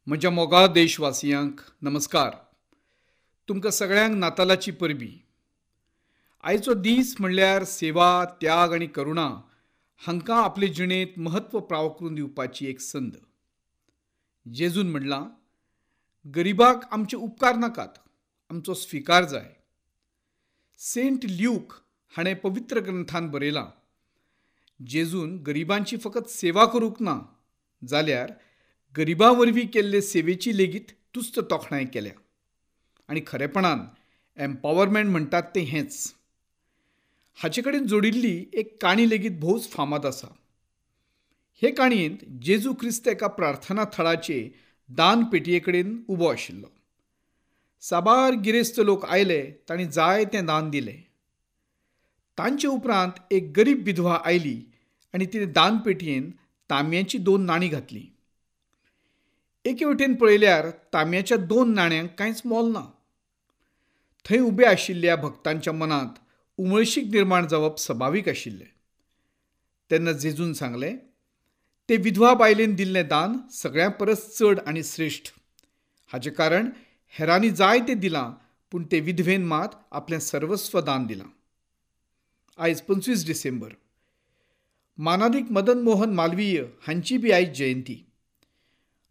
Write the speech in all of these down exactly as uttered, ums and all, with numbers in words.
म्हज्या मोगाळ देशवासियांक नमस्कार. तुमकां सगळ्यांक नातालाची परबी. आयचो दीस म्हणल्यार सेवा, त्याग आनी करुणा हांकां आपले जिणेंत म्हत्व प्राव करून दिवपाची एक संद. जेजून म्हणलां, गरिबाक आमचे उपकार नाकात, आमचो स्विकार जाय. सेंट ल्यूक हाणें पवित्र ग्रंथान बरयलां, जेजून गरिबांची फकत सेवा करूंक ना, जाल्यार गरिबां वरवीं केल्ले सेवेची लेगीत तुस्त तोखणाय केल्या. आनी खरेपणान एम्पावरमेंट म्हणटात तें हेंच. हाचे कडेन जोडिल्ली एक काणी लेगीत भोवच फामाद आसा. हे काणयेंत जेजू क्रिस्त एका प्रार्थना थळाचे दान पेटये कडेन उबो आशिल्लो. साबार गिरेस्त लोक आयले, तांणी जाय तें दान दिलें. तांचे उपरांत एक गरीब विधवा आयली आनी तिणें दान पेटयेन तांब्याचीं दोन नाणीं घातलीं. एके वटेन पळयल्यार तांब्याच्या दोन नाण्यांक कांयच मोल ना. थंय उबे आशिल्ल्या भक्तांच्या मनांत उमळशीक निर्माण जावप सभावीक आशिल्लें. तेन्ना जेजून सांगलें, ते विधवा बायलेन दिल्लें दान सगळ्यां परस चड आनी श्रेश्ठ. हाचें कारण हेरांनी जाय तें दिलां, पूण ते विधवेन मात आपलें सर्वस्व दान दिलां. आयज पंचवीस डिसेंबर. मानादीक मदन मोहन मालवीय हांची बी आयज जयंती.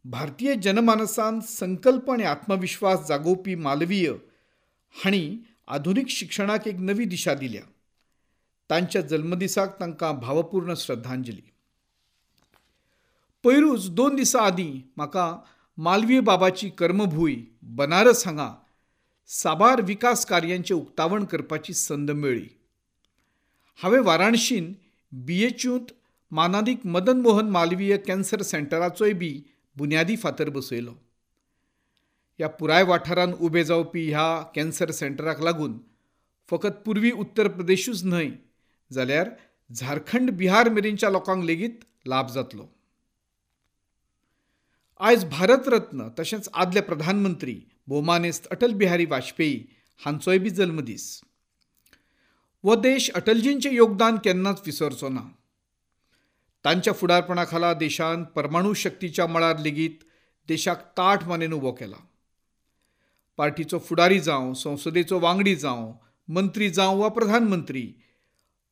भारतीय जनमानसान संकल्प आनी आत्मविश्वास जागोवपी मालवीय हांणी आधुनीक शिक्षणाक एक नवी दिशा दिल्या. तांच्या जल्मदिसाक तांकां भावपूर्ण श्रद्धांजली. पयरूच दोन दिसां आदीं म्हाका मालवीय बाबाची कर्मभूंय बनारस हांगा साबार विकास कार्यांचें उक्तावण करपाची संद मेळ्ळी. हांवें वाराणशीन बी एच यूंत मानादीक मदन मोहन मालवीय कॅन्सर सेंटराचोय बी बुन्यादी फातर बसयलो. ह्या पुराय वाठारांत उबे जावपी ह्या कॅन्सर सेंटराक लागून फकत पुर्वी उत्तर प्रदेशूच न्हय, जाल्यार झारखंड, बिहार मेरेनच्या लोकांक लेगीत लाभ जातलो. आयज भारतरत्न तशेंच आदले प्रधानमंत्री भोवमानेस्त अटल बिहारी वाजपेयी हांचोय बी जल्मदीस. हो देश अटलजींचें योगदान केन्नाच विसरचो ना. तांच्या फुडारपणा खाला देशान परमाणू शक्तीच्या मळार लेगीत देशाक ताठ मानेन उबो केला. पार्टीचो फुडारी जावं, संसदेचो वांगडी जावं, मंत्री जावं वा प्रधानमंत्री,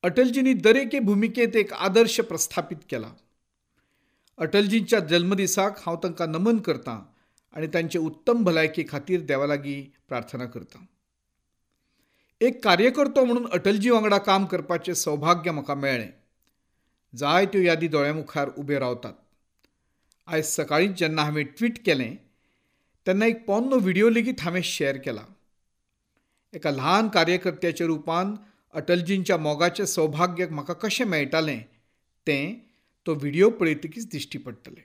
अटलजींनी दरेके भुमिकेंत एक आदर्श प्रस्थापीत केला. अटलजींच्या जल्मदिसाक हांव तांकां नमन करतां आनी तांचे उत्तम भलायके खातीर देवा लागीं प्रार्थना करतां. एक कार्यकर्तो म्हणून अटलजी वांगडा काम करपाचें सौभाग्य म्हाका मेळ्ळें. जायत्यो यादी दोळ्यां मुखार उब्यो रावतात. आयज सकाळींच जेन्ना हांवें ट्वीट केलें तेन्ना एक पोन्नो व्हिडियो लेगीत हांवें शेअर केला. एका ल्हान कार्यकर्त्याच्या रुपान अटलजींच्या मोगाचें सौभाग्य म्हाका कशें मेळटालें तें तो व्हिडियो पळयतकीच दिश्टी पडटलें.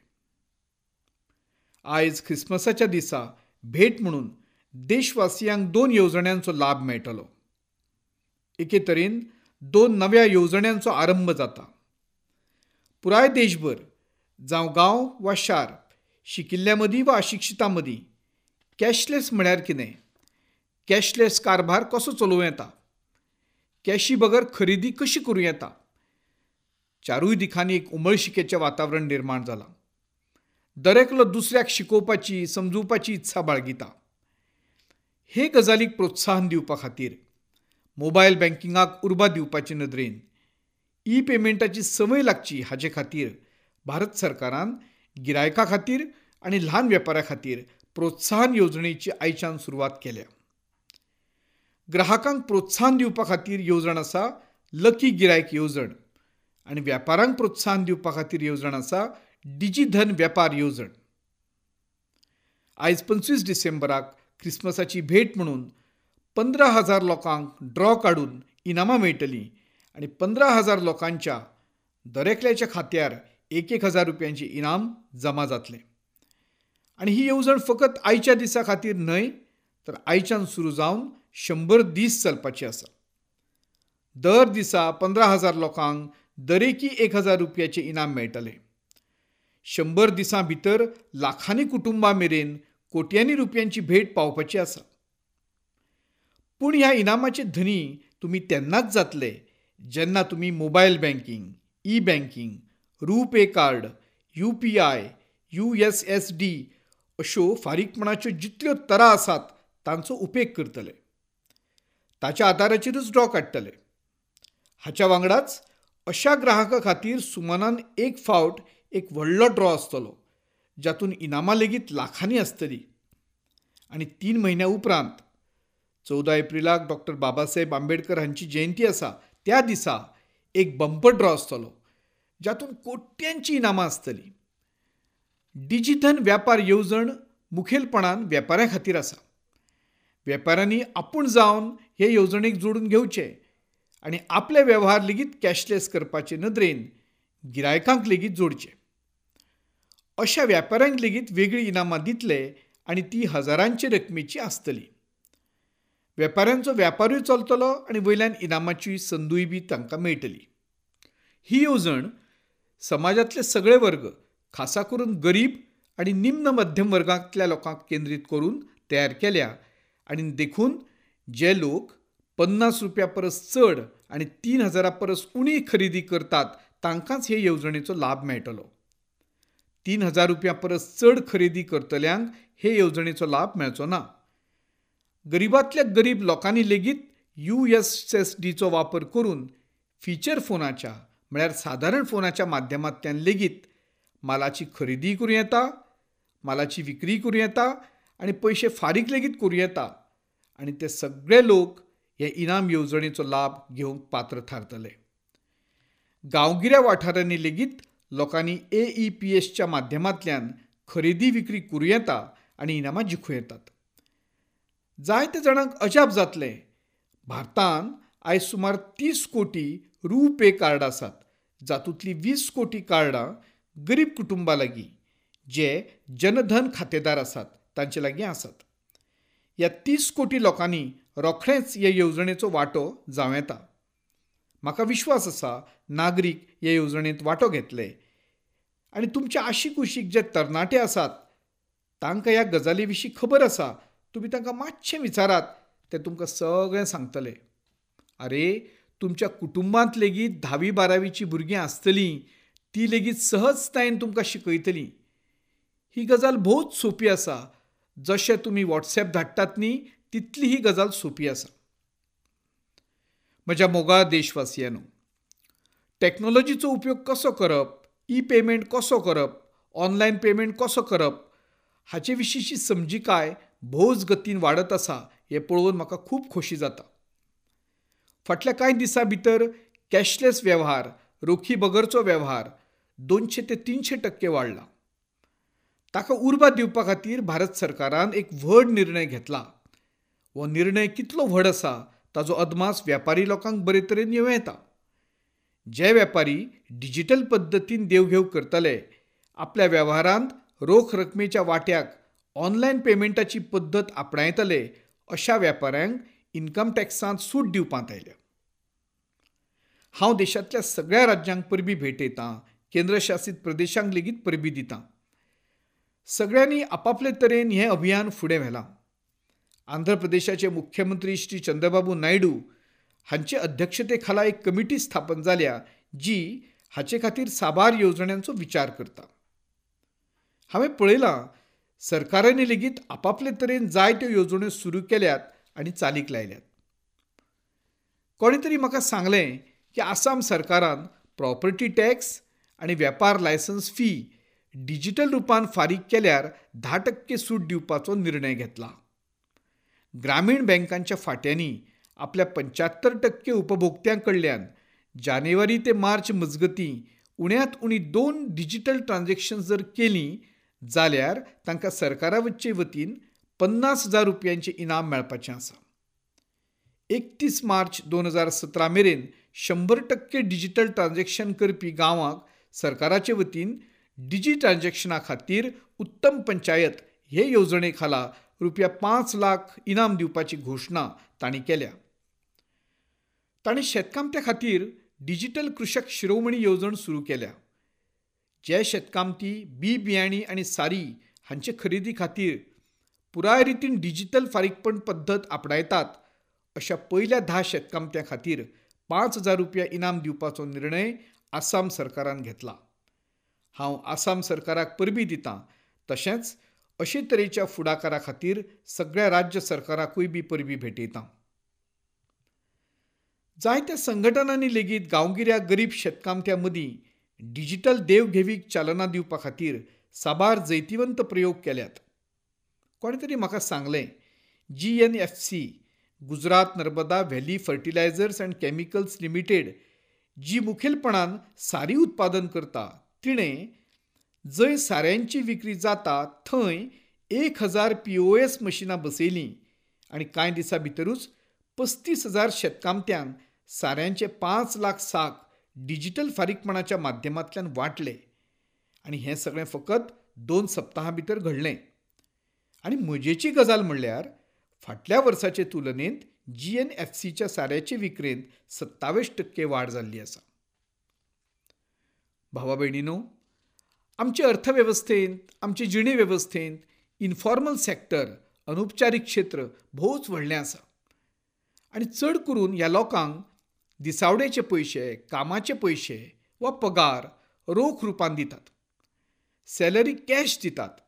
आयज ख्रिसमसाच्या दिसा भेट म्हणून देशवासियांक दोन येवजण्यांचो लाभ मेळटलो. एके तरेन दोन नव्या येवजण्यांचो आरंभ जाता. पुराय देशभर, जावं गांव वा शार, शिकिल्ल्या मदीं वा अशिक्षितां मदीं कॅशलेस म्हळ्यार कितें, कॅशलेस कारभार कसो चलोवं येता, कॅशी बगर खरेदी कशी करूं येता, चारूय दिकांनी एक उमळशिकेचें वातावरण निर्माण जालां. दरेकलो दुसऱ्याक शिकोवपाची, समजुवपाची इत्सा बाळगिता. हे गजालीक प्रोत्साहन दिवपा खातीर मोबायल बँकिंगाक उर्बा दिवपाचे नदरेन ई पेमेंटाची संवय लागची हाचे खातीर भारत सरकारान गिरायका खातीर आनी ल्हान वेपाऱ्या खातीर प्रोत्साहन येवजणेची आयच्यान सुरवात केल्या. ग्राहकांक प्रोत्साहन दिवपा खातीर येवजण आसा लकी गिरायक येवजण आनी वेपारांक प्रोत्साहन दिवपा खातीर येवजण आसा डिजिधन वेपार येवजण. आयज पंचवीस डिसेंबराक क्रिसमसाची भेट म्हणून पंदरा हजार लोकांक ड्रॉ काडून इनामां मेळटलीं आनी पंदरा हजार लोकांच्या दरेकल्याच्या खात्यार एक एक हजार रुपयांचें इनाम जमा जातलें. आनी ही येवजण फकत आयच्या दिसा खातीर न्हय, तर आयच्यान सुरू जावन शंबर दीस चलपाची आसा. दर दिसा पंदरा हजार लोकांक दरेकी एक हजार रुपयाचें इनाम मेळटलें. शंबर दिसां भितर लाखांनी कुटुंबां मेरेन कोट्यांनी रुपयांची भेट पावपाची आसा. पूण ह्या इनामाचे धनी तुमी तेन्नाच जातले जेन्ना तुमी mobile banking, e banking, RuPay card, U P I, U S S D अश्यो फारीकपणाच्यो जितल्यो तरा आसात तांचो उपेग करतले. ताच्या आदाराचेरूच ड्रॉ काडटले. हाच्या वांगडाच अशा ग्राहकां खातीर सुमानान एक फावट एक व्हडलो ड्रॉ आसतलो जातून इनामां लेगीत लाखांनी आसतली. आनी तीन म्हयन्या उपरांत चवदा एप्रिलाक डॉक्टर बाबासाहेब आंबेडकर हांची जयंती आसा त्या दिसा एक बंपर ड्रॉ आसतलो जातून कोट्यांची इनामां आसतली. डिजिधन व्यापार येवजण मुखेलपणान वेपाऱ्यां खातीर आसा. वेपाऱ्यांनी आपूण जावन हे येवजणेक जोडून घेवचे आनी आपले वेव्हार लेगीत कॅशलेस करपाचे नदरेन गिरायकांक लेगीत जोडचे. अशा व्यापाऱ्यांक लेगीत वेगळी इनामां दितले आनी ती हजारांचे रकमेची आसतली. वेपाऱ्यांचो व्यापारूय चलतलो आनी वयल्यान इनामाची संदूय बी तांकां मेळटली. ही येवजण समाजांतले सगळे वर्ग, खासा करून गरीब आनी निम्न मध्यम वर्गांतल्या लोकांक केंद्रीत करून तयार केल्या आनी देखून जे लोक पन्नास रुपया परस चड आनी तीन हजारा परस उणी खरेदी करतात तांकांच हे येवजणेचो लाभ मेळटलो. तीन हजार रुपया परस चड खरेदी करतल्यांक हे येवजणेचो लाभ मेळचो ना. गरिबांतल्या गरीब लोकांनी लेगीत यू एस एस डीचो वापर करून फिचर फोनाच्या म्हळ्यार सादारण फोनाच्या माध्यमांतल्यान लेगीत मालाची खरेदी करूं येता, मालाची विक्री करूं येता आनी पयशे फारीक लेगीत करूं येता आनी ते सगळे लोक हे इनाम येवजणेचो लाभ घेवंक पात्र थारतले. गांवगिऱ्या वाठारांनी लेगीत लोकांनी ए ई पी एसच्या माध्यमांतल्यान खरेदी विक्री करूं येता आनी इनामां जिखूं येतात. जायते जाणांक अजाप जातलें, भारतांत आयज सुमार तीस कोटी रुपे कार्ड आसात जातूंतलीं वीस कोटी कार्डां गरीब कुटुंबां लागीं जे जनधन खातेदार आसात तांचे लागीं आसात. ह्या तीस कोटी लोकांनी रोखडेंच हे येवजणेचो वांटो जावं येता. म्हाका विश्वास आसा नागरीक हे येवजणेंत वांटो घेतले आनी तुमच्या आशिकुशीक जे तरणाटे आसात तांकां ह्या गजाली विशीं खबर आसा. तुमी तांकां मातशें विचारात, ते तुमकां सगळें सांगतले. आरे, तुमच्या कुटुंबांत लेगीत धावी बारावीची भुरगीं आसतलीं, ती लेगीत सहजतायेन तुमकां शिकयतलीं. ही गजाल भोवच सोंपी आसा. जशें तुमी वॉट्सएप धाडटात न्ही तितली ही गजाल सोंपी आसा. म्हज्या मोगाळ देशवासियांनो, टॅक्नोलॉजीचो उपयोग कसो करप, ई पेमेंट कसो करप, ऑनलायन पेमेंट कसो करप हाचे विशींची समजिकाय भोवच गतीन वाडत आसा हें पळोवन म्हाका खूब खोशी जाता. फाटल्या कांय दिसां भितर कॅशलेस वेव्हार, रोखी बगरचो वेव्हार दोनशे ते तिनशे टक्के वाडला. ताका उर्बा दिवपा खातीर भारत सरकारान एक व्हड निर्णय घेतला. हो निर्णय कितलो व्हड आसा ताजो अदमास व्यापारी लोकांक बरे तरेन येवं येता. जे व्यापारी डिजिटल पद्दतीन देवघेव करतले, आपल्या वेव्हारांत रोख रकमेच्या वाट्याक ऑनलायन पेमेंटाची पद्दत आपणायतले अशा व्यापाऱ्यांक इन्कम टॅक्सांत सूट दिवपांत आयल्या. हांव देशांतल्या सगळ्या राज्यांक परबी भेटयतां, केंद्रशासीत प्रदेशांक लेगीत परबी दितां. सगळ्यांनी आपापले तरेन हें अभियान फुडें व्हेलां. आंध्र प्रदेशाचे मुख्यमंत्री श्री चंद्रबाबू नायडू हांचे अध्यक्षते खाला एक कमिटी स्थापन जाल्या जी हाचे खातीर साबार येवजण्यांचो विचार करता. हांवें पळयलां सरकारांनी लेगीत आपापले तरेन जायत्यो येवजण्यो सुरू केल्यात आनी चालीक लायल्यात. कोणें तरी म्हाका सांगलें की आसाम सरकारान प्रॉपर्टी टॅक्स आनी वेपार लायसन्स फी डिजिटल रुपान फारीक केल्यार धा टक्के सूट दिवपाचो निर्णय घेतला. ग्रामीण बँकांच्या फांट्यांनी आपल्या पंच्यात्तर टक्के उपभोक्त्यां कडल्यान जानेवारी ते मार्च मजगतीं उण्यांत उणी दोन डिजिटल ट्रान्झॅक्शन जर केलीं जाल्यार तांकां सरकारा वचे वतीन पन्नास हजार रुपयांचें इनाम मेळपाचें आसा. एकतीस मार्च दोन हजार सतरा मेरेन शंबर टक्के डिजिटल ट्रान्झॅक्शन करपी गांवांक सरकाराचे वतीन डिजी ट्रान्झॅक्शना खातीर उत्तम पंचायत हे येवजणे खाला रुपया पांच लाख इनाम दिवपाची घोशणा तांणी केल्या. तांणी शेतकामत्या खातीर डिजिटल कृषक शिरोमणी येवजण सुरू केल्या. जे शेतकामती बी बियाणी आनी सारी हांचे खरेदी खातीर पुराय रितीन डिजिटल फारीकपण पद्दत आपणायतात अशा पयल्या धा शेतकामत्यां खातीर पांच हजार रुपया इनाम दिवपाचो निर्णय आसाम सरकारान घेतला. हांव आसाम सरकाराक परबी दितां, तशेंच अशे तरेच्या फुडाकारा खातीर सगळ्या राज्य सरकाराकूय बी परबीं भेटयतां. जायत्या संघटनांनी लेगीत गांवगिऱ्या गरीब शेतकामत्यां मदीं डिजिटल देवघेवीक चालना दिवपा खातीर साबार जैतिवंत प्रयोग केल्यात. कोणें तरी म्हाका सांगलें, G N F C Gujarat Narmada valley fertilisers and chemicals limited जी मुखेलपणान सारी उत्पादन करता, तिणें जंय साऱ्यांची विक्री जाता थंय एक हजार पी ओ एस मशिनां बसयलीं आनी कांय दिसां भितरूच पस्तीस हजार शेतकामत्यांक साऱ्यांचे पांच लाख साक डिजिटल फारीकपणाच्या माध्यमांतल्यान वांटले आनी हें सगळें फकत दोन सप्तकां भितर घडलें. आनी मजेची गजाल म्हणल्यार फाटल्या वर्साचे तुलनेंत जी एन एफ सीच्या साऱ्याचे विक्रेंत सत्तावीस टक्के वाड जाल्ली आसा. भावा भयणीनो, आमचे अर्थवेवस्थेंत, आमचे जिणे वेवस्थेंत इनफॉर्मल सेक्टर, अनुपचारीक क्षेत्र भोवच व्हडलें आसा आनी चड करून ह्या लोकांक दिसावड्याचे पयशे, कामाचे पयशे वा पगार रोख रुपान दितात, सॅलरी कॅश दितात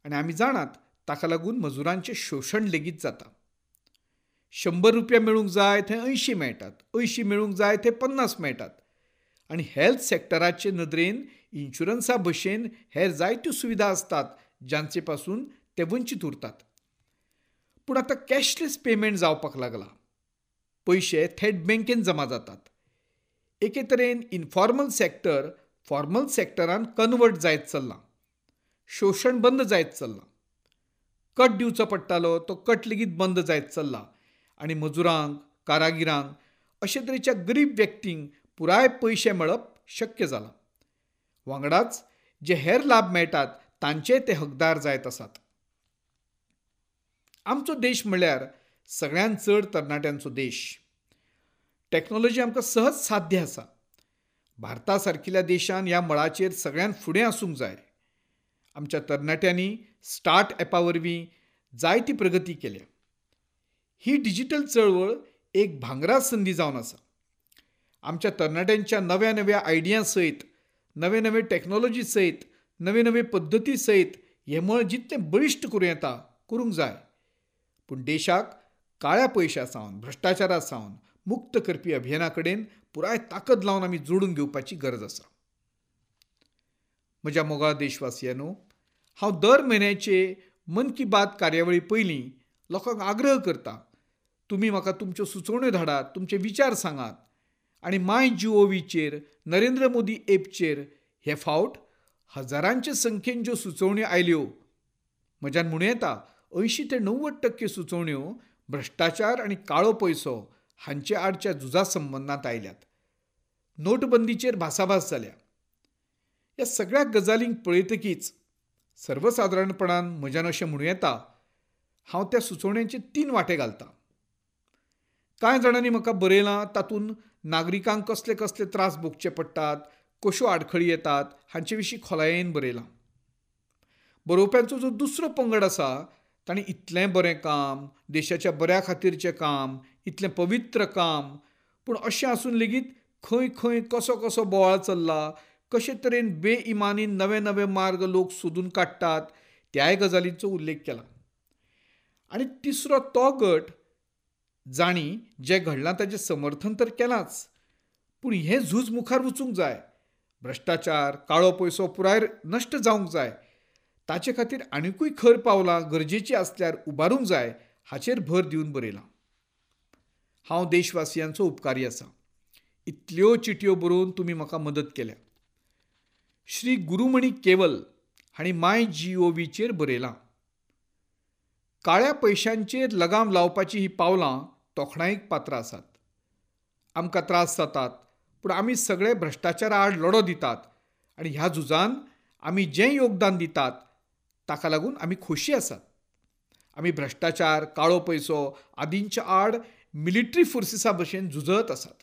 आनी आमी जाणात ताका लागून मजुरांचें शोशण लेगीत जाता. शंबर रुपया मेळूंक जाय थंय अंयशीं मेळटात, अंयशीं मेळूंक जाय थंय पन्नास मेळटात आनी हेल्थ सेक्टराचे नदरेन इन्शुरन्सा भशेन हेर जायत्यो सुविधा आसतात जांचे पासून ते वंचीत उरतात. पूण आतां कॅशलेस पेमेंट जावपाक लागला. पयशे थेट बँकेन जमा जातात. एके तरेन इनफॉर्मल सेक्टर फॉर्मल सेक्टरान कन्वर्ट जायत चल्लां. शोशण बंद जायत चल्लां. कट दिवचो पडटालो तो कट लेगीत बंद जायत चल्ला आनी मजुरांक, कारागिरांक, अशे तरेच्या गरीब व्यक्तींक पुराय पयशे मेळप शक्य जालां. वांगडाच जे हेर लाभ मेळटात तांचे ते हकदार जायत आसात. आमचो देश म्हणल्यार सगळ्यांत चड तरणाट्यांचो देश. टॅक्नोलॉजी आमकां सहज साध्य आसा. भारता सारकिल्या देशान ह्या मळाचेर सगळ्यांत फुडें आसूंक जाय. आमच्या तरणाट्यांनी स्टार्ट ॲपा वरवीं जायती प्रगती केल्या. ही डिजिटल चळवळ एक भांगरा संदी जावन आसा. आमच्या तरणाट्यांच्या नव्या नव्या आयडियां सयत, नवे नवे टॅक्नोलॉजी सयत, नवे नवे पद्दती सयत हें मळ जितलें बळिश्ट करूं येता करूंक जाय. पूण देशाक काळ्या पयशां सावन, भ्रश्टाचारा सावन मुक्त करपी अभियाना कडेन पुराय ताकद लावन आमी जोडून घेवपाची गरज आसा. म्हज्या मोगाळ देशवासियांनो, हांव दर म्हयन्याचे मन की बात कार्यावळी पयलीं लोकांक आग्रह करता, तुमी म्हाका तुमच्यो सुचोवण्यो धाडात, तुमचे विचार सांगात आनी माय जी ओ व्हीचेर, नरेंद्र मोदी एपचेर हे फावट हजारांचे संख्येन ज्यो सुचोवण्यो आयल्यो, म्हज्यान म्हणूं येता अंयशीं ते णव्वद टक्के सुचोवण्यो भ्रश्टाचार आनी काळो पयसो हांचे आडच्या झुजा संबंदांत आयल्यात. नोटबंदीचेर भासाभास जाल्या. ह्या सगळ्या गजालींक पळयतकीच सर्वसादारणपणान म्हज्यान अशें म्हणूं येता, हांव त्या सुचोवण्यांचे तीन वांटे घालतां. कांय जाणांनी म्हाका बरयलां तातूंत नागरिकांक कसले कसले त्रास भोगचे पडटात, कश्यो आडखळी येतात हांचे विशीं खोलायेन बरयलां. बरोवप्यांचो जो दुसरो पंगड आसा तांणी इतलें बरें काम, देशाच्या बऱ्या खातीरचें काम, इतलें पवित्र काम, पूण अशें आसून लेगीत खंय खंय कसो कसो बोवाळ चल्ला, कशे तरेन बेइमानीन नवे नवे मार्ग लोक सोदून काडटात त्याय गजालींचो उल्लेख केला. आनी तिसरो तो गट जांणी जें घडलां ताचें समर्थन तर केलांच, पूण हें झूज मुखार वचूंक जाय, भ्रश्टाचार, काळो पयसो पुराय नश्ट जावंक जाय, ताचे खातीर आनिकूय खर पावलां गरजेचीं आसल्यार उबारूंक जाय हाचेर भर दिवन बरयलां. हांव देशवासियांचो उपकारी आसा. इतल्यो चिटयो बरोवन तुमी म्हाका मदत केल्या. श्री गुरुमणी केवल हांणी माय जी ओ व्हीचेर बरयलां, काळ्या पयशांचेर लगाम लावपाची ही पावलां तोखणायेक पात्र आसात. आमकां त्रास जातात, पूण आमी सगळे भ्रश्टाचारा आड लढो दितात आनी ह्या झुजान आमी जें योगदान दितात ताका लागून आमी खोशी आसात. आमी भ्रश्टाचार, काळो पयसो आदींच्या आड मिलिटरी फोर्सिसा भशेन झुजत आसात.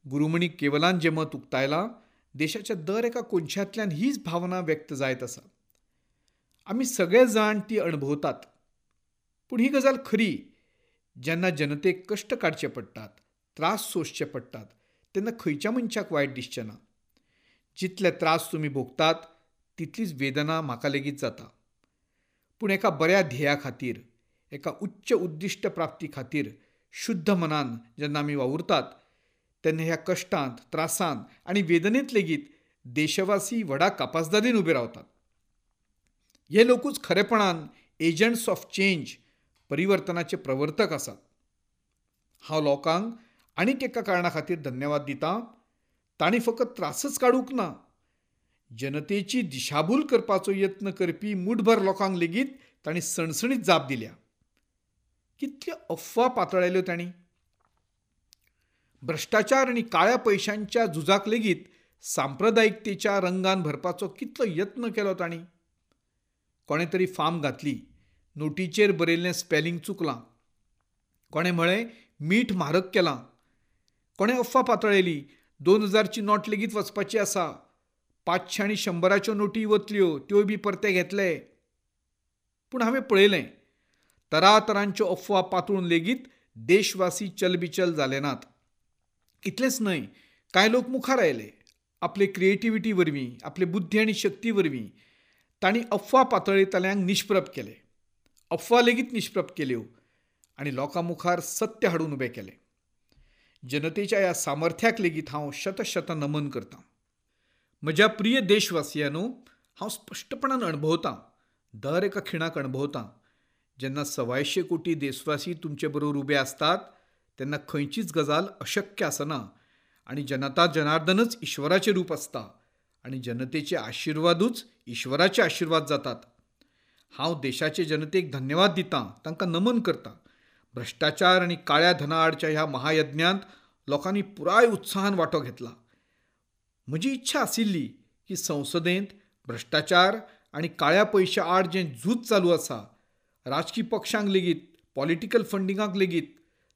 गुरुमणी केवलान जें मत उक्तायलां, देशाच्या दर एका कोनशांतल्यान हीच भावना व्यक्त जायत आसा. आमी सगळे जाण ती अणभवतात. पूण ही गजाल खरी, जेन्ना जनतेक कश्ट काडचे पडटात, त्रास सोंसचे पडटात, तेन्ना खंयच्या मनशाक वायट दिसचें ना. जितले त्रास तुमी भोगतात तितलीच वेदना म्हाका लेगीत जाता. पूण एका बऱ्या ध्येया खातीर, एका उच्च उद्दिश्ट प्राप्ती खातीर शुद्ध मनान जेन्ना आमी वावुरतात तेन्ना ह्या कश्टांत, त्रासांत आनी वेदनेंत लेगीत देशवासी व्हडा कापासदादीन उबे रावतात. हे लोकूच खरेपणान एजंट्स ऑफ चेंज, परिवर्तनाचे प्रवर्तक आसात. हांव लोकांक आनीक एका कारणा खातीर धन्यवाद दितां. तांणी फकत त्रासच काडूंक ना, जनतेची दिशाभूल करपाचो यत्न करपी मुठभर लोकांक लेगीत तांणी सणसणीत जाप दिल्या. कितल्यो अफवा पातळायल्यो तांणी. भ्रश्टाचार आनी काळ्या पयशांच्या झुजाक लेगीत सांप्रदायिकतेच्या रंगान भरपाचो कितलो यत्न केलो तांणी. कोणें तरी फार्म घातली, नोटीचेर बरयल्लें स्पेलिंग चुकलां. कोणें म्हळें मीठ म्हारग केलां. कोणें अफवा पातळायली दोन हजारची नोट लेगीत वचपाची आसा, पांचशे आनी शंबराच्यो नोटी वतल्यो, त्योय बी परते घेतले. पूण हांवें पळयलें, तरातरांच्यो अफवा पातळून लेगीत देशवासी चलबिचल जाले नात. इतलेंच न्हय, कांय लोक मुखार आयले आपले क्रिएटिविटी वरवीं, आपले बुद्धी आनी शक्ती वरवीं तांणी अफवा पातळयतल्यांक निष्प्रभ केले, अफवा लेगीत निष्प्रभ केल्यो आनी लोकां मुखार सत्य हाडून उबें केलें. जनतेच्या ह्या सामर्थ्याक लेगीत हांव शतशत नमन करतां. म्हज्या प्रिय देशवासियांनो, हांव स्पश्टपणान अणभवतां, दर एका खिणाक अणभवतां, जेन्ना सवायशे कोटी देशवासी तुमचे बरोबर उबे आसतात तेन्ना खंयचीच गजाल अशक्य आसना आनी जनता जनार्दनच ईश्वराचें रूप आसता आनी जनतेचे आशिर्वादूच ईश्वराचे आशिर्वाद जातात. हांव देशाचे जनतेक धन्यवाद दितां, तांकां नमन करतां. भ्रश्टाचार आनी काळ्या धना आडच्या ह्या महायज्ञांत लोकांनी पुराय उत्साहान वांटो घेतला. म्हजी इच्छा आशिल्ली की संसदेंत भ्रश्टाचार आनी काळ्या पयशा आड जें झूज चालू आसा, राजकी पक्षांक लेगीत, पॉलिटिकल फंडिंगाक लेगीत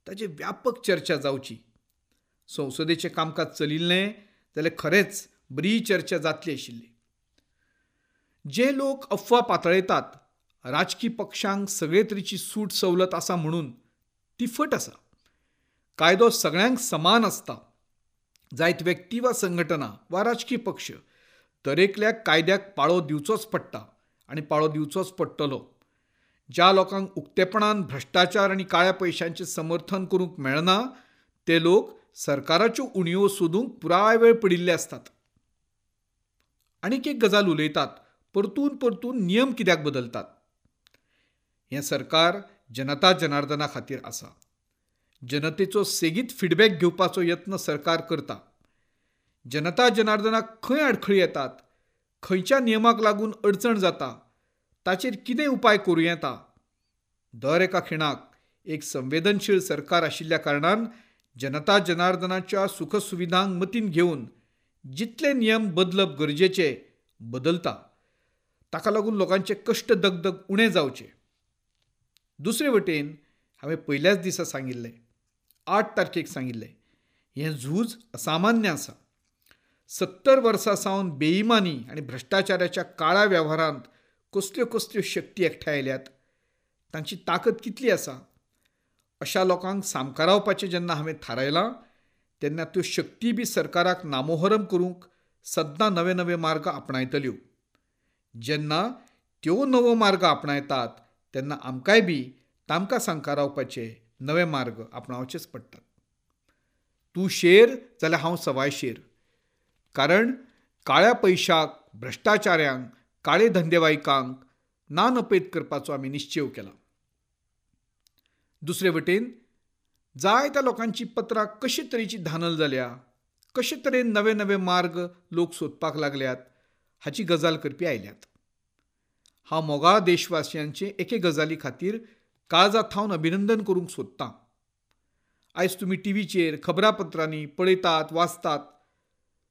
ताचेर व्यापक चर्चा जावची. संसदेचें कामकाज चलिल्लें जाल्यार खरेंच बरी चर्चा जातली आशिल्ली. जे लोक अफवा पातळयतात राजकी पक्षांक सगळे तरेची सूट सवलत आसा म्हणून, ती फट आसा. कायदो सगळ्यांक समान आसता. जायत व्यक्ती वा संघटना वा राजकी पक्ष, दरेकल्याक कायद्याक पाळो दिवचोच पडटा आनी पाळो दिवचोच पडटलो. ज्या लोकांक उक्तेपणान भ्रश्टाचार आनी काळ्या पयशांचें समर्थन करूंक मेळना ते लोक सरकाराच्यो उणीवो सोदूंक पुराय वेळ पडिल्ले आसतात. आनीक एक गजाल उलयतात, परतून परतून नियम कित्याक बदलतात? हें सरकार जनता जनार्दना खातीर आसा. जनतेचो सेगीत फिडबॅक घेवपाचो यत्न सरकार करता. जनता जनार्दनाक खंय आडखळी येतात, खंयच्या नियमाक लागून अडचण जाता, ताचेर कितें उपाय करूं येता, दर एका खिणाक एक संवेदनशील सरकार आशिल्ल्या कारणान जनता जनार्दनाच्या सुखसुविधांक मतीन घेवन जितले नियम बदलप गरजेचे बदलता. ताका लागून लोकांचे कश्ट दगदग उणें जावचे. दुसरे वटेन हांवें पयल्याच दिसा सांगिल्लें, आठ तारखेक सांगिल्लें, हें झूज असामान्य आसा. सत्तर वर्सां सावन बेईमानी आनी भ्रश्टाचाराच्या काळ्या वेव्हारांत कसल्यो कसल्यो शक्ती एकठांय आयल्यात, तांची ताकद कितली आसा, अशा लोकांक सामकारावपाचें जेन्ना हांवें थारायलां तेन्ना त्यो शक्ती बी सरकाराक नामोहरम करूंक सद्दां नवे नवे मार्ग आपणायतल्यो. जेन्ना त्यो नवो मार्ग आपणायतात तेन्ना आमकांय बी तांकां सामकारावपाचे नवे मार्ग आपणावचेच पडटात. तूं शेर जाल्यार हांव सवाय शेर. कारण काळ्या पयशाक, भ्रश्टाचाऱ्यांक, काळे धंदेवाईकांक ना नपयत करपाचो आमी निश्चेव केला. दुसरे वटेन जायत्या लोकांची पत्रां कशे तरेची धानल जाल्या, कशे तरेन नवे नवे मार्ग लोक सोदपाक लागल्यात हाची गजाल करपी आयल्यात. हांव मोगाळ देशवासियांचे एके गजाली खातीर काळजा थावन अभिनंदन करूंक सोदतां. आयज तुमी टीव्हीचेर, खबरापत्रांनी पळयतात, वाचतात,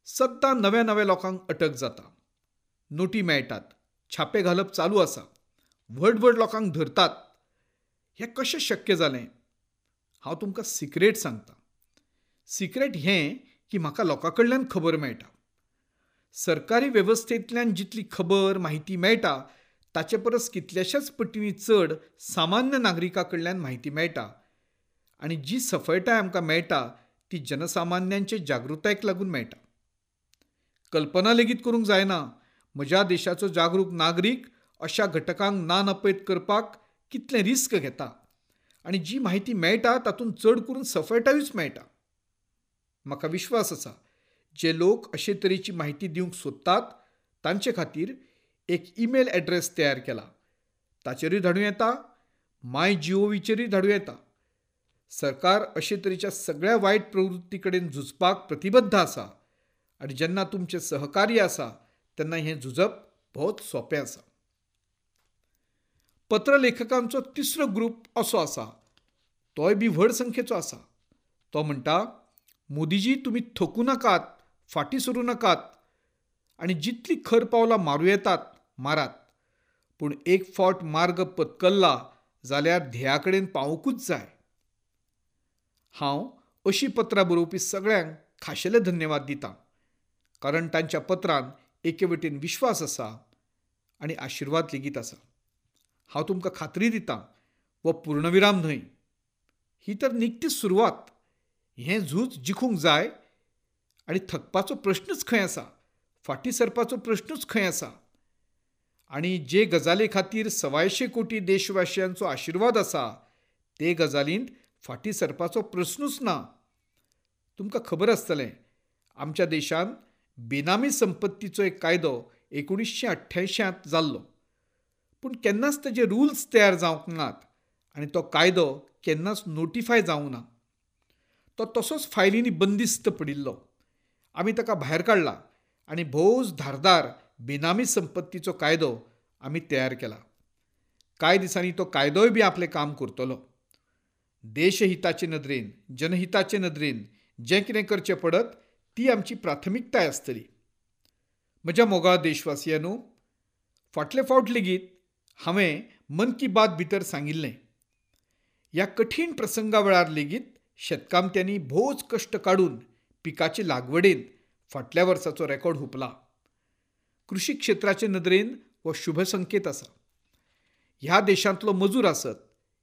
सद्दां नव्या नव्या लोकांक अटक जाता, नोटी मेळटात, छापे घालप चालू आसा, व्हड व्हड लोकांक धरतात. हें कशें शक्य जालें? हांव तुमकां सिक्रेट सांगतां. सिक्रेट हें की म्हाका लोकां कडल्यान खबर मेळटा. सरकारी वेवस्थेंतल्यान जितली खबर म्हायती मेळटा ताचे परस कितल्याशाच पटींनी चड सामान्य नागरिकां कडल्यान म्हायती मेळटा आनी जी सफळटाय आमकां मेळटा ती जनसामान्यांचे जागृतायेक लागून मेळटा. कल्पना लेगीत करूंक जायना म्हज्या देशाचो जागरूक नागरीक अशा घटकांक ना नपयत करपाक कितलें रिस्क घेता आनी जी म्हायती मेळटा तातूंत चड करून सफळटायूच मेळटा. म्हाका विश्वास आसा जे लोक अशे तरेची म्हायती दिवंक सोदतात तांचे खातीर एक ईमेल ॲड्रेस तयार केला. ताचेरूय धाडूं येता, माय जीओव्हीचेरूय धाडूं येता. सरकार अशे तरेच्या सगळ्या वायट प्रवृत्ती कडेन झुजपाक प्रतिबद्ध आसा आनी जेन्ना तुमचें सहकार्य आसा तेन्ना हें झुजप भोवच सोंपें आसा. पत्रलेखकांचो तिसरो ग्रूप असो आसा, तोय बी व्हड संख्येचो आसा. तो म्हणटा, मोदीजी तुमी थकूं नाकात, फाटीं सरूं नाकात आनी जितली खर पावलां मारूं येतात मारात, पूण एक फावट मार्ग पत्करला जाल्यार ध्येया कडेन पावूंकूच जाय. हांव अशीं पत्रां बरोवपी सगळ्यांक खाशेले धन्यवाद दितां, कारण तांच्या पत्रान एके वटेन विश्वास आसा आनी आशिर्वाद लेगीत आसा. हांव तुमकां खात्री दितां, हो पूर्णविराम न्हय, ही तर निकतीच सुरवात. हें झूज जिखूंक जाय आनी थकपाचो प्रश्नूच खंय आसा, फाटीं सरपाचो प्रश्नूच खंय आसा. आनी जे गजाली खातीर सवायशे कोटी देशवासियांचो आशिर्वाद आसा ते गजालींत फाटीं सरपाचो प्रश्नूच ना. तुमकां खबर आसतलें, आमच्या देशांत बेनामी संपत्तीचो एक कायदो एकुणीसशें अठ्ठ्यांयशांत जाल्लो, पूण केन्नाच ताजे रुल्स तयार जावंक नात आनी तो कायदो केन्नाच नोटिफाय जावंक ना. तो तसोच फायलींनी बंदिस्त पडिल्लो. आमी ताका भायर काडला आनी भोवच धारदार बेनामी संपत्तीचो कायदो आमी तयार केला. कांय दिसांनी तो कायदोय बी आपलें काम करतलो. देशहिताचे नदरेन, जनहिताचे नदरेन जें कितें करचें पडत ती आमची प्राथमिकताय आसतली. म्हज्या मोगाळ देशवासियांनो, फाटले फावट लेगीत हांवें मन की बात भितर सांगिल्लें, ह्या कठीण प्रसंगा वेळार लेगीत शेतकामत्यांनी भोवच कश्ट काडून पिकाचे लागवडेन फाटल्या वर्साचो रेकॉर्ड हुपला. कृषी क्षेत्राचे नदरेन हो शुभ संकेत आसा. ह्या देशांतलो मजूर आसत,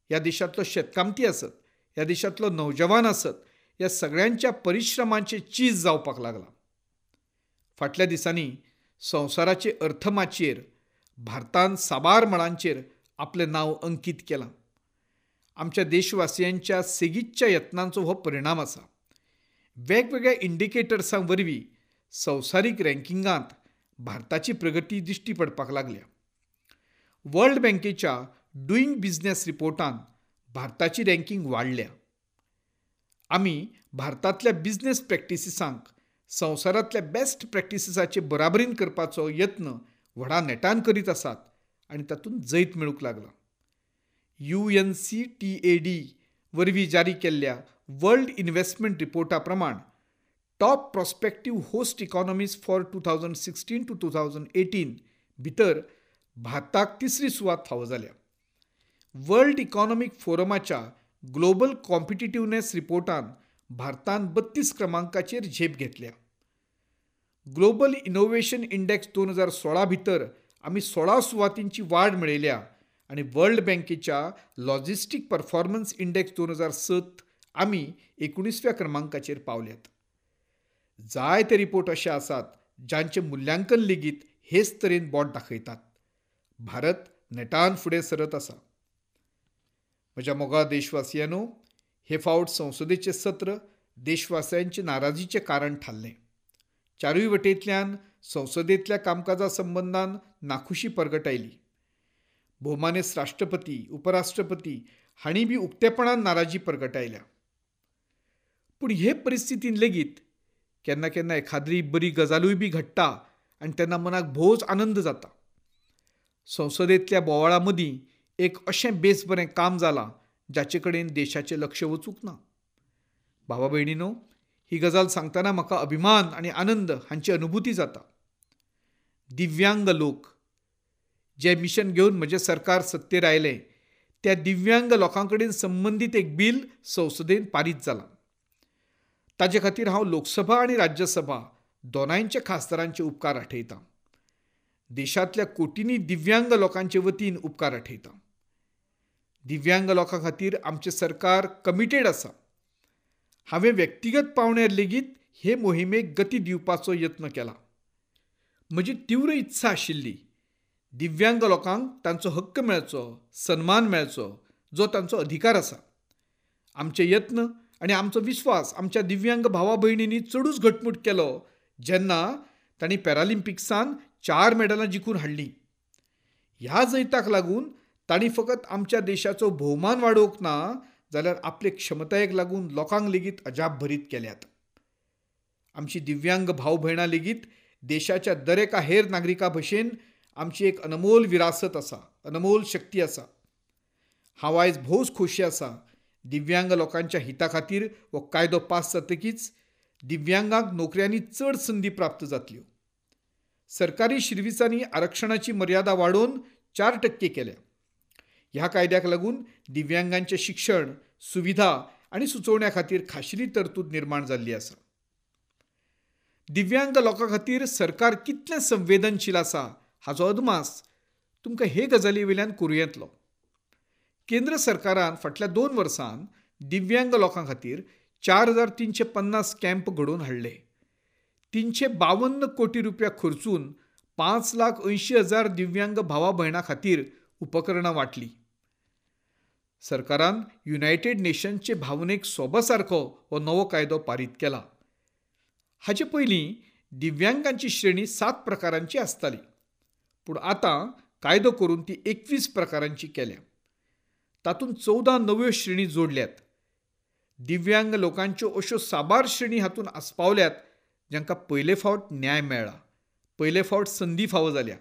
ह्या देशांतलो शेतकामती आसत, ह्या देशांतलो नौजवान आसत, ह्या सगळ्यांच्या परिश्रमांचें चीज जावपाक लागलां. फाटल्या दिसांनी संवसाराचे अर्थमाचयेर भारतान साबार मळांचेर आपलें नांव अंकीत केलां. आमच्या देशवासियांच्या सेगीतच्या यत्नांचो हो परिणाम आसा. वेगवेगळ्या इंडिकेटर्सां वरवीं संवसारीक रँकिंगांत भारताची प्रगती दिश्टी पडपाक लागल्या. वर्ल्ड बँकेच्या डुईंग बिझनेस रिपोर्टान भारताची रँकिंग वाडल्या. आमी भारतांतल्या बिझनेस प्रॅक्टिसिसांक संवसारांतल्या बेस्ट प्रॅक्टिसिसाचे बराबरीन करपाचो यत्न व्हडा नेटान करीत आसात आनी तातूंत जैत मेळूंक लागलां. U N C T A D वरवीं जारी केल्ल्या वर्ल्ड इन्व्हेस्टमेंट रिपोर्टा प्रमाण top prospective host economies for two thousand sixteen to two thousand eighteen भितर भारताक तिसरी सुवात फावो जाल्या. वर्ल्ड इकॉनॉमीक फोरमाच्या ग्लोबल कॉम्पिटिटिवनेस रिपोर्टान भारतान बत्तीस क्रमांकाचेर झेप घेतल्या. ग्लोबल इनोव्हेशन इंडेक्स दोन हजार सोळा भितर आमी सोळा सुवातींची वाड मेळयल्या आनी वर्ल्ड बँकेच्या लॉजिस्टीक परफॉर्मन्स इंडेक्स दोन हजार सत आमी एकुणीसव्या क्रमांकाचेर पावल्यात. जायते रिपोर्ट अशे आसात जांचें मुल्यांकन लेगीत हेच तरेन बोट दाखयतात. भारत नेटान फुडें सरत आसा. म्हज्या मोगाळ देशवासियांनो, हे फावट संसदेचें सत्र देशवासियांचे नाराजीचें कारण थारलें. चारूय वटेंतल्यान संसदेंतल्या कामकाजा संबंदान नाखुशी परगटायली. भोवमानेस्त राष्ट्रपती, उपराष्ट्रपती हांणी बी उक्तेपणान नाराजी परगटायल्या. पूण हे परिस्थितीन लेगीत केन्ना केन्ना एखाद्री बरी गजालूय बी घडटा आनी तेन्ना मनाक भोवच आनंद जाता. संसदेंतल्या बोवाळा मदीं एक अशें बेस बरें काम जालां जाचे कडेन देशाचें लक्ष वचूंक ना. भावा भयणीनो, ही गजाल सांगतना म्हाका अभिमान आनी आनंद हांची अनुभूती जाता. दिव्यांग लोक जे मिशन घेवन म्हजें सरकार सत्तेर आयलें त्या दिव्यांग लोकां कडेन संबंदीत एक बील संसदेन पारीत जालां. ताजे खातीर हांव लोकसभा आनी राज्यसभा दोनांयच्या खासदारांचे उपकार आठयतां. देशांतल्या कोटींनी दिव्यांग लोकांचे वतीन उपकार आठयतां. दिव्यांग लोकां खातीर आमचें सरकार कमिटेड आसा. हांवें व्यक्तिगत पावंड्यार लेगीत हे मोहिमेक गती दिवपाचो यत्न केला. म्हजी तीव्र इत्सा आशिल्ली दिव्यांग लोकांक तांचो हक्क मेळचो, सन्मान मेळचो, जो तांचो अधिकार आसा. आमचे यत्न आनी आमचो विस्वास आमच्या दिव्यांग भावा भयणींनी चडूच घटमूट केलो जेन्ना तांणी पॅरालिम्पिक्सान चार मेडलां जिखून हाडलीं. ह्या जैताक लागून तांणी फकत आमच्या देशाचो भोवमान वाडोवंक ना जाल्यार आपले क्षमतायेक लागून लोकांक लेगीत अजाप भरीत केल्यात. आमची दिव्यांग भाव भयणां लेगीत देशाच्या दरेका हेर नागरिकां भशेन आमची एक अनमोल विरासत आसा, अनमोल शक्ती आसा. हांव आयज भोवच खोशी आसा दिव्यांग लोकांच्या हिता खातीर हो कायदो पास जातकीच दिव्यांगांक नोकऱ्यांनी चड संदी प्राप्त जातल्यो. सरकारी शिर्विसांनी आरक्षणाची मर्यादा वाडोवन चार टक्के केल्या. ह्या कायद्याक लागून दिव्यांगांचें शिक्षण, सुविधा आनी सुचोवण्या खातीर खाशेली तरतूद निर्माण जाल्ली आसा. दिव्यांग लोकां खातीर सरकार कितलें संवेदनशील आसा हाचो अदमास तुमकां हे गजाली वयल्यान करूं येतलो. केंद्र सरकारान फाटल्या दोन वर्सांत दिव्यांग लोकां खातीर चार हजार तिनशे पन्नास कॅम्प घडोवन हाडले. तिनशे बावन्न कोटी रुपया खर्चून पांच लाख अंयशीं हजार दिव्यांग भावा भयणां खातीर उपकरणां वांटलीं. सरकारान युनायटेड नेशन्सचे भावनेक सोबा सारको हो नवो कायदो पारीत केला. हाचे पयलीं दिव्यांगांची श्रेणी सात प्रकारांची आसताली, पूण आतां कायदो करून ती एकवीस प्रकारांची केल्या. तातूंत चवदा नव्यो श्रेणी जोडल्यात. दिव्यांग लोकांच्यो अश्यो साबार श्रेणी हातूंत आस्पावल्यात जांकां पयले फावट न्याय मेळ्ळा, पयले फावट संदी फावो जाल्या.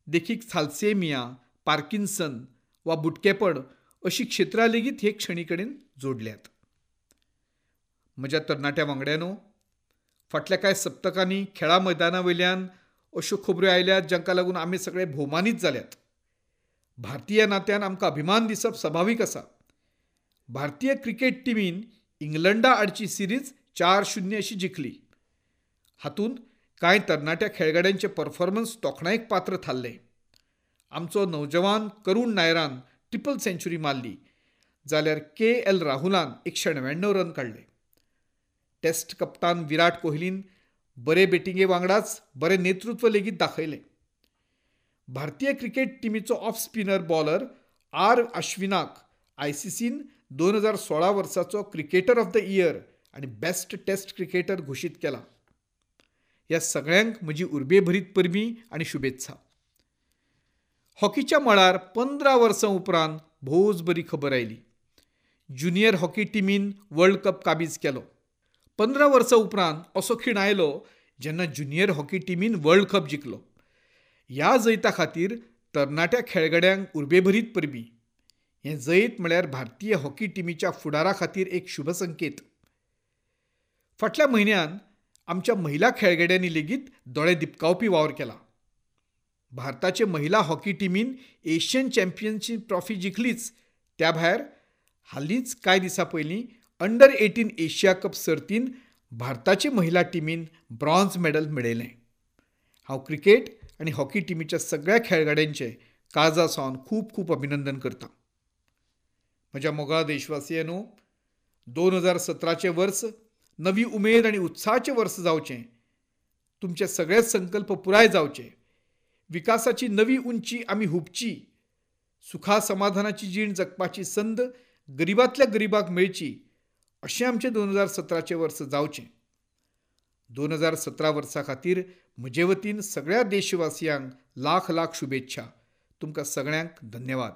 देखीक थालसेमिया, पार्किन्सन वा बुटकेपण अशी क्षेत्रां लेगीत हे श्रेणी कडेन जोडल्यात. म्हज्या तरणाट्या वांगड्यांनो, फाटल्या कांय सप्तकांनी खेळा मैदाना वयल्यान अश्यो खबऱ्यो आयल्यात जांकां लागून आमी सगळे भोवमानीत जाल्यात. भारतीय नात्यान आमकां अभिमान दिसप सभावीक आसा. भारतीय क्रिकेट टिमीन इंग्लंडा आडची सिरीज चार शून्य अशी जिखली. हातूंत कांय तरणाट्या खेळगड्यांचे परफॉर्मन्स तोखणायेक पात्र थारले. आमचो नौजवान करुण नायरान ट्रिपल सेंच्युरी मारली जाल्यार के एल राहुलान एकशे णव्याण्णव रन काडले. टेस्ट कप्तान विराट कोहलीन बरे बॅटिंगे वांगडाच बरें नेतृत्व लेगीत दाखयलें. भारतीय क्रिकेट टिमीचो ऑफ स्पिनर बॉलर आर अश्विनाक आय सी सीन दोन हजार सोळा वर्साचो क्रिकेटर ऑफ the year आनी बेस्ट टेस्ट क्रिकेटर घोशीत केला. ह्या सगळ्यांक म्हजी उर्बेभरीत परबीं आनी शुभेत्सा. हॉकीच्या मळार पंदरा वर्सां उपरांत भोवच बरी खबर आयली. ज्युनियर हॉकी टिमीन वर्ल्ड कप काबीज केलो. पंदरा वर्सां उपरांत असो खीण आयलो जेन्ना ज्युनियर हॉकी टिमीन वर्ल्ड कप जिखलो. ह्या जैता खातीर तरणाट्या खेळगड्यांक उर्बेभरीत परबीं. हें जैत म्हळ्यार भारतीय हॉकी टिमीच्या फुडारा खातीर एक शुभ संकेत. फाटल्या म्हयन्यान आमच्या महिला खेळगड्यांनी लेगीत दोळे दिपकावपी वावर केला. भारताचे महिला हॉकी टिमीन एशियन चॅम्पियनशीप ट्रॉफी जिखलीच, त्या भायर हालींच कांय दिसां पयलीं अंडर एटीन एशिया कप सर्तीन भारताचे महिला टिमीन ब्रॉन्झ मेडल मेळयलें. हांव क्रिकेट आनी हॉकी टिमीच्या सगळ्या खेळगड्यांचें काळजा सावन खूब खूब अभिनंदन करतां. म्हज्या मोगाळ देशवासियांनो, दोन हजार सतराचें वर्स नवी उमेद आनी उत्साहाचें वर्स जावचें. तुमचे सगळे संकल्प पुराय जावचे. विकासाची नवी उंची आमी हुपची. सुखा समाधानाची जीण जगपाची संद गरिबांतल्या गरिबाक मेळची अशें आमचें दोन हजार सतराचें वर्स जावचें. दोन हजार सतरा वर्सा खातीर म्हजे वतीन सगळ्या देशवासियांक लाख लाख शुभेच्छा. तुमकां सगळ्यांक धन्यवाद.